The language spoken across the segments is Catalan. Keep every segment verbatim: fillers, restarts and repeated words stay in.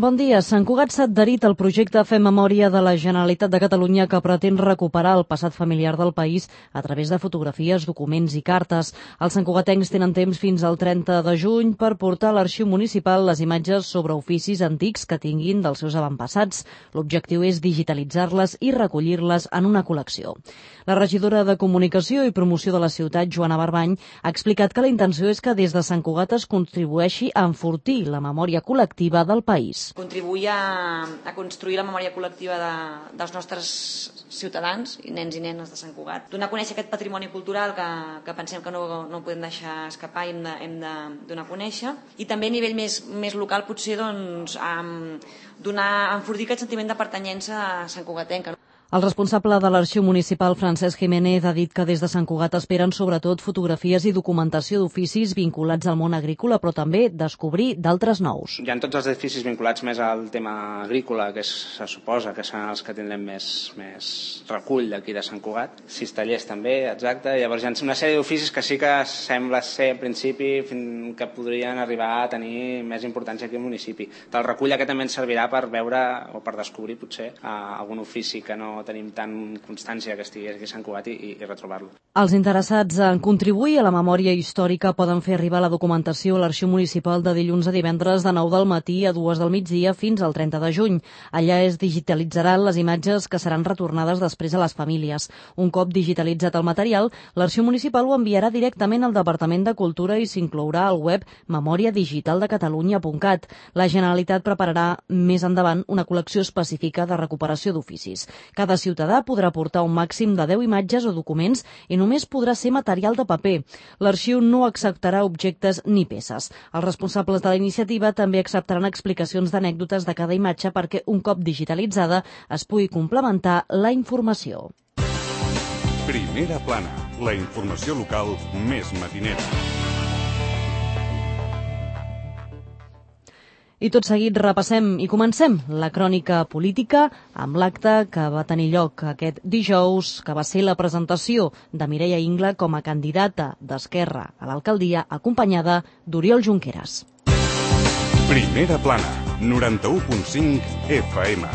Bon dia. Sant Cugat s'ha adherit al projecte Fem Memòria de la Generalitat de Catalunya que pretén recuperar el passat familiar del país a través de fotografies, documents i cartes. Els santcugatencs tenen temps fins al trenta de juny per portar a l'arxiu municipal les imatges sobre oficis antics que tinguin dels seus avantpassats. L'objectiu és digitalitzar-les i recollir-les en una col·lecció. La regidora de Comunicació i Promoció de la ciutat, Joana Barbany, ha explicat que la intenció és que des de Sant Cugat es contribueixi a enfortir la memòria col·lectiva del país. Contribuir a, a construir la memòria col·lectiva de, dels nostres ciutadans, i nens i nenes de Sant Cugat. Donar a conèixer aquest patrimoni cultural que, que pensem que no, no podem deixar escapar i hem de, hem de donar a conèixer. I també a nivell més, més local potser doncs, um, donar, enfortir aquest sentiment de pertanyença a Sant Cugatenca. El responsable de l'Arxiu Municipal, Francesc Jiménez, ha dit que des de Sant Cugat esperen sobretot fotografies i documentació d'oficis vinculats al món agrícola, però també descobrir d'altres nous. Hi ha tots els edificis vinculats més al tema agrícola, que és, se suposa que seran els que tindrem més, més recull d'aquí de Sant Cugat. Sis tallers també, exacte. Llavors hi ha una sèrie d'oficis que sí que sembla ser, en principi, que podrien arribar a tenir més importància aquí al municipi. El recull aquest també ens servirà per veure o per descobrir, potser, algun ofici que no tenim tant constància que estigui aquí a Sant Cugat i, i retrobar-lo. Els interessats en contribuir a la memòria històrica poden fer arribar la documentació a l'Arxiu Municipal de dilluns a divendres de nou del matí a dues del migdia fins al trenta de juny. Allà es digitalitzaran les imatges que seran retornades després a les famílies. Un cop digitalitzat el material, l'Arxiu Municipal ho enviarà directament al Departament de Cultura i s'inclourà al web memòria digital de catalunya punt cat. La Generalitat prepararà més endavant una col·lecció específica de recuperació d'oficis. Cada Cada ciutadà podrà portar un màxim de deu imatges o documents i només podrà ser material de paper. L'arxiu no acceptarà objectes ni peces. Els responsables de la iniciativa també acceptaran explicacions d'anècdotes de cada imatge perquè un cop digitalitzada es pugui complementar la informació. Primera plana, la informació local més matinera. I tot seguit repassem i comencem la crònica política amb l'acte que va tenir lloc aquest dijous, que va ser la presentació de Mireia Ingla com a candidata d'Esquerra a l'alcaldia, acompanyada d'Oriol Junqueras. Primera plana, noranta-u punt cinc F M.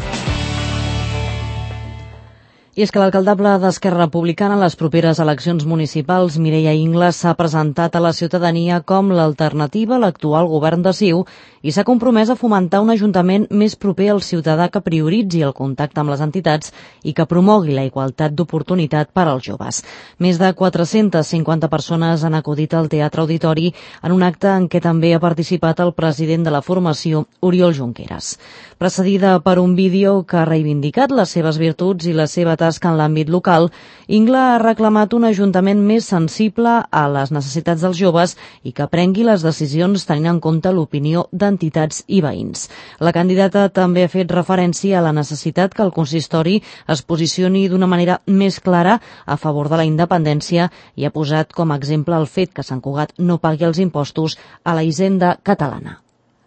I és que l'alcaldable d'Esquerra Republicana a les properes eleccions municipals, Mireia Ingla, s'ha presentat a la ciutadania com l'alternativa a l'actual govern de C I U i s'ha compromès a fomentar un ajuntament més proper al ciutadà que prioritzi el contacte amb les entitats i que promogui la igualtat d'oportunitat per als joves. Més de quatre-centes cinquanta persones han acudit al Teatre Auditori en un acte en què també ha participat el president de la formació, Oriol Junqueras. Precedida per un vídeo que ha reivindicat les seves virtuts i la seva tasca en l'àmbit local, Ingla ha reclamat un ajuntament més sensible a les necessitats dels joves i que prengui les decisions tenint en compte l'opinió d'entitats i veïns. La candidata també ha fet referència a la necessitat que el consistori es posicioni d'una manera més clara a favor de la independència i ha posat com a exemple el fet que Sant Cugat no pagui els impostos a la hisenda catalana.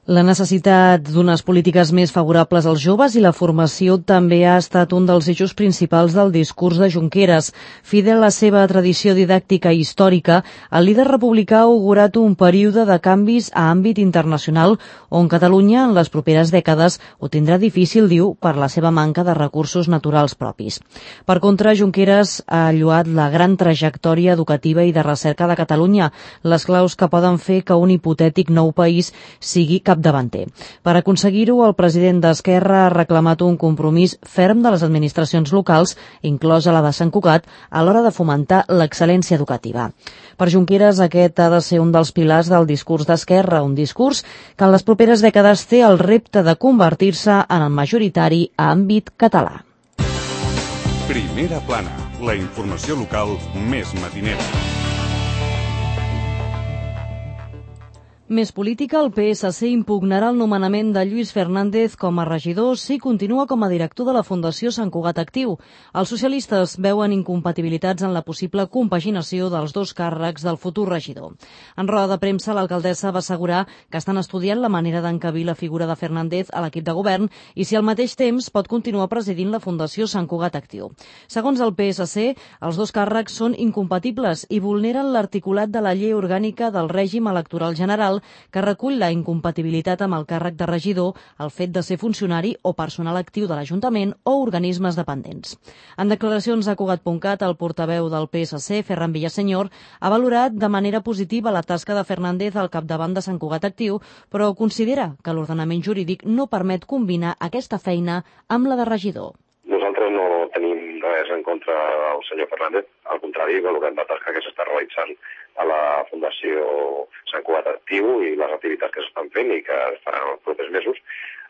La necessitat d'unes polítiques més favorables als joves i la formació també ha estat un dels eixos principals del discurs de Junqueras. Fidel a la seva tradició didàctica i històrica, el líder republicà ha augurat un període de canvis a àmbit internacional on Catalunya en les properes dècades ho tindrà difícil, diu, per la seva manca de recursos naturals propis. Per contra, Junqueras ha lloat la gran trajectòria educativa i de recerca de Catalunya, les claus que poden fer que un hipotètic nou país sigui cap davanter. Per aconseguir-ho, el president d'Esquerra ha reclamat un compromís ferm de les administracions locals, inclosa la de Sant Cugat, a l'hora de fomentar l'excel·lència educativa. Per Junqueras, aquest ha de ser un dels pilars del discurs d'Esquerra, un discurs que en les properes dècades té el repte de convertir-se en el majoritari a àmbit català. Primera plana, la informació local més matinera. Més política, el P S C impugnarà el nomenament de Lluís Fernández com a regidor si continua com a director de la Fundació Sant Cugat Actiu. Els socialistes veuen incompatibilitats en la possible compaginació dels dos càrrecs del futur regidor. En roda de premsa, l'alcaldessa va assegurar que estan estudiant la manera d'encabir la figura de Fernández a l'equip de govern i si al mateix temps pot continuar presidint la Fundació Sant Cugat Actiu. Segons el P S C, els dos càrrecs són incompatibles i vulneren l'articulat de la llei orgànica del règim electoral general Municipal que recull la incompatibilitat amb el càrrec de regidor, el fet de ser funcionari o personal actiu de l'Ajuntament o organismes dependents. En declaracions a Cugat punt cat, el portaveu del P S C, Ferran Villaseñor, ha valorat de manera positiva la tasca de Fernández al capdavant de Sant Cugat Actiu, però considera que l'ordenament jurídic no permet combinar aquesta feina amb la de regidor. Nosaltres no tenim res en contra del senyor Fernández, al contrari, valorem la tasca que s'està realitzant a la Fundació Sant Cugat Actiu i les activitats que s'estan fent i que es faran els propers mesos.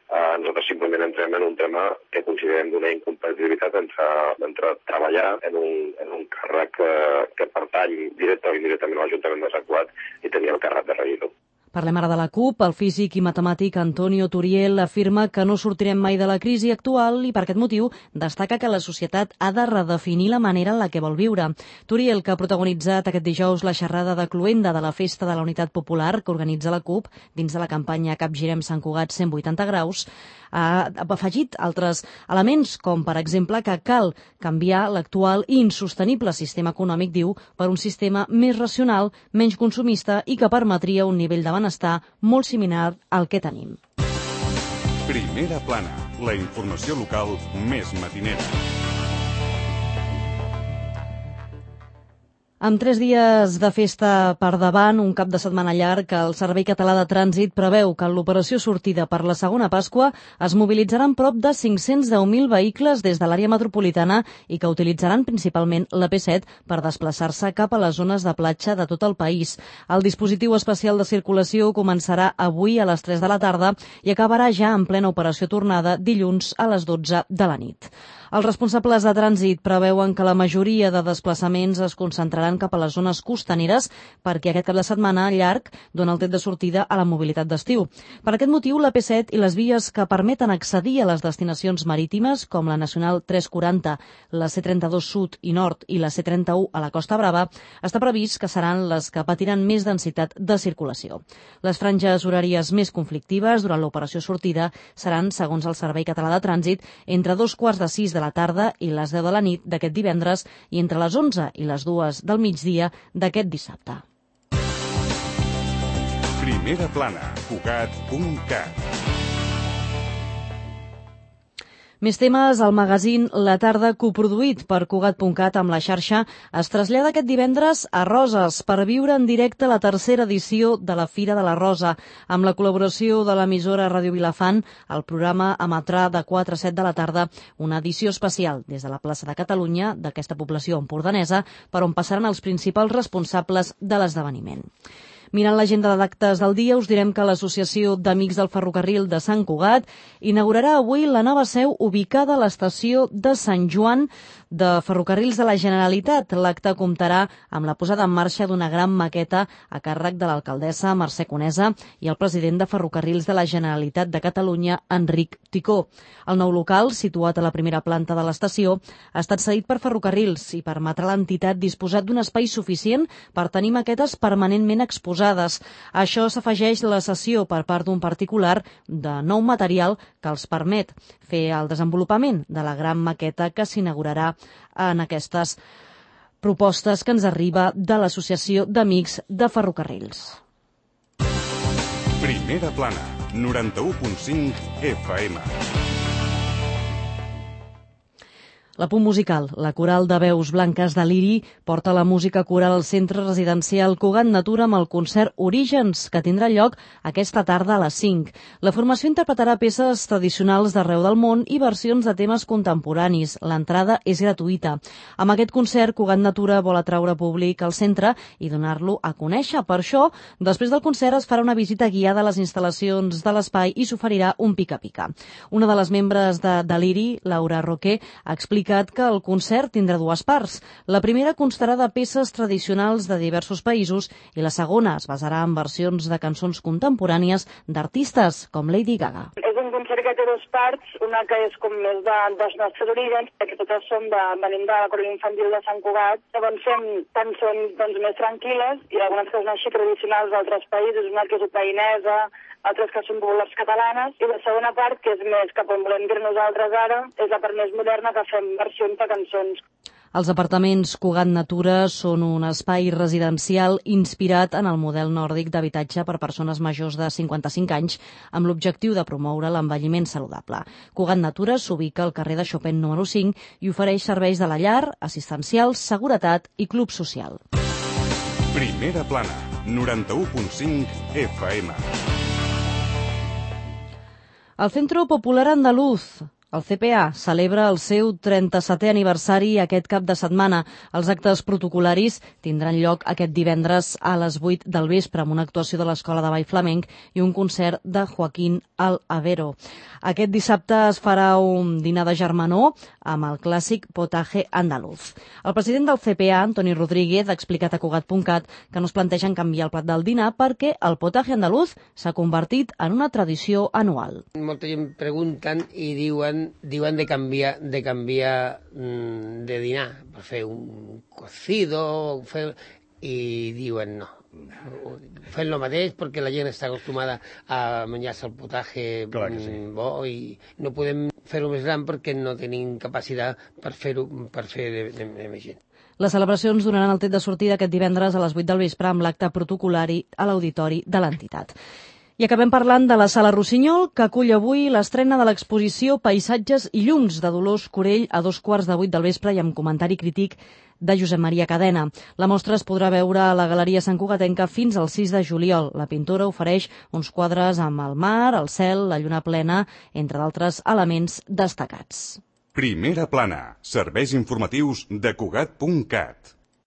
Uh, nosaltres simplement entrem en un tema que considerem d'una incompatibilitat entre, entre treballar en un, en un càrrec que, que pertany directe o indirectament a l'Ajuntament de Sant Cugat i tenir el càrrec de regidor. Parlem ara de la CUP. El físic i matemàtic Antonio Turiel afirma que no sortirem mai de la crisi actual i per aquest motiu destaca que la societat ha de redefinir la manera en la que vol viure. Turiel, que ha protagonitzat aquest dijous la xerrada de cloenda de la Festa de la Unitat Popular que organitza la CUP dins de la campanya Capgirem Sant Cugat cent vuitanta graus, ha afegit altres elements, com per exemple que cal canviar l'actual i insostenible sistema econòmic, diu, per un sistema més racional, menys consumista i que permetria un nivell de benestar molt similar al que tenim. Primera plana, la informació local més matinera. Amb tres dies de festa per davant, un cap de setmana llarg, el Servei Català de Trànsit preveu que en l'operació sortida per la segona Pasqua es mobilitzaran prop de cinc-cents deu mil vehicles des de l'àrea metropolitana i que utilitzaran principalment la P set per desplaçar-se cap a les zones de platja de tot el país. El dispositiu especial de circulació començarà avui a les tres de la tarda i acabarà ja en plena operació tornada dilluns a les dotze de la nit. Els responsables de trànsit preveuen que la majoria de desplaçaments es concentraran cap a les zones costaneres perquè aquest cap de setmana llarg dona el tret de sortida a la mobilitat d'estiu. Per aquest motiu, la P set i les vies que permeten accedir a les destinacions marítimes, com la Nacional tres quaranta, la C trenta-dos Sud i Nord i la C trenta-u a la Costa Brava, està previst que seran les que patiran més densitat de circulació. Les franges horàries més conflictives durant l'operació sortida seran, segons el Servei Català de Trànsit, entre dos quarts de sis de la tarda i les deu de la nit d'aquest divendres i entre les onze i les dues del migdia d'aquest dissabte. Primera plana, Cugat punt cat. Més temes, el magazín La Tarda, coproduït per Cugat punt cat amb la xarxa, es trasllada aquest divendres a Roses per viure en directe la tercera edició de la Fira de la Rosa. Amb la col·laboració de l'emissora Ràdio Vilafant, el programa emetrà de quatre a set de la tarda una edició especial des de la plaça de Catalunya d'aquesta població empordanesa, per on passaran els principals responsables de l'esdeveniment. Mirant l'agenda d'actes del dia, us direm que l'Associació d'Amics del Ferrocarril de Sant Cugat inaugurarà avui la nova seu ubicada a l'estació de Sant Joan de Ferrocarrils de la Generalitat. L'acte comptarà amb la posada en marxa d'una gran maqueta a càrrec de l'alcaldessa Mercè Conesa i el president de Ferrocarrils de la Generalitat de Catalunya, Enric Ticó. El nou local, situat a la primera planta de l'estació, ha estat cedit per Ferrocarrils i permetrà a l'entitat disposar d'un espai suficient per tenir maquetes permanentment exposades. A això s'afegeix la cessió per part d'un particular de nou material que els permet fer el desenvolupament de la gran maqueta que s'inaugurarà en aquestes propostes que ens arriba de l'Associació d'Amics de Ferrocarrils. Primera plana, noranta-u punt cinc F M. La Punt Musical, la coral de veus blanques de Liri, porta la música coral al centre residencial Cugat Natura amb el concert Orígens, que tindrà lloc aquesta tarda a les cinc. La formació interpretarà peces tradicionals d'arreu del món i versions de temes contemporanis. L'entrada és gratuïta. Amb aquest concert, Cugat Natura vol atraure públic al centre i donar-lo a conèixer. Per això, després del concert es farà una visita guiada a les instal·lacions de l'espai i s'oferirà un pica-pica. Una de les membres de, de Liri, Laura Roquer, explica que el concert tindrà dues parts. La primera constarà de peces tradicionals de diversos països i la segona es basarà en versions de cançons contemporànies d'artistes com Lady Gaga. És un concert que té dues parts, una que és com més de, dels nostres orígens, perquè totes som de, venim de la coral infantil de Sant Cugat. Llavors fem cançons doncs, més tranquil·les i algunes que són així tradicionals d'altres països, una que és ucraïnesa, altres que són populars catalanes, i la segona part, que és més cap on volem dir nosaltres ara, és la part més moderna, que fem versions de cançons. Els apartaments Cugat Natura són un espai residencial inspirat en el model nòrdic d'habitatge per persones majors de cinquanta-cinc anys amb l'objectiu de promoure l'envelliment saludable. Cugat Natura s'ubica al carrer de Chopin número cinc i ofereix serveis de la llar, assistencials, seguretat i club social. Primera plana, noranta-u punt cinc F M. El Centro Popular Andaluz, el C P A, celebra el seu trenta-setè aniversari aquest cap de setmana. Els actes protocolaris tindran lloc aquest divendres a les vuit del vespre amb una actuació de l'Escola de Ball Flamenc i un concert de Joaquín Al-Avero. Aquest dissabte es farà un dinar de germanor amb el clàssic potaje andaluz. El president del C P A, Antoni Rodríguez, ha explicat a Cugat punt cat que no es plantegen canviar el plat del dinar perquè el potaje andaluz s'ha convertit en una tradició anual. Molta gent pregunten i diuen diuen de canviar de canviar de dinar per fer un cocido fer, i diuen no, fent el mateix perquè la gent està acostumada a menjar-se el potaje sí. bo i no podem fer-ho més gran perquè no tenim capacitat per fer-ho per fer de, de, de més gent. Les celebracions donaran el tret de sortida aquest divendres a les vuit del vespre amb l'acte protocolari a l'auditori de l'entitat. I acabem parlant de la Sala Rossinyol, que acull avui l'estrena de l'exposició Paisatges i llums de Dolors Corell a dos quarts de vuit del vespre i amb comentari crític de Josep Maria Cadena. La mostra es podrà veure a la Galeria Sant Cugatenca fins al sis de juliol. La pintora ofereix uns quadres amb el mar, el cel, la lluna plena, entre d'altres elements destacats. Primera plana, serveis informatius de Cugat punt cat.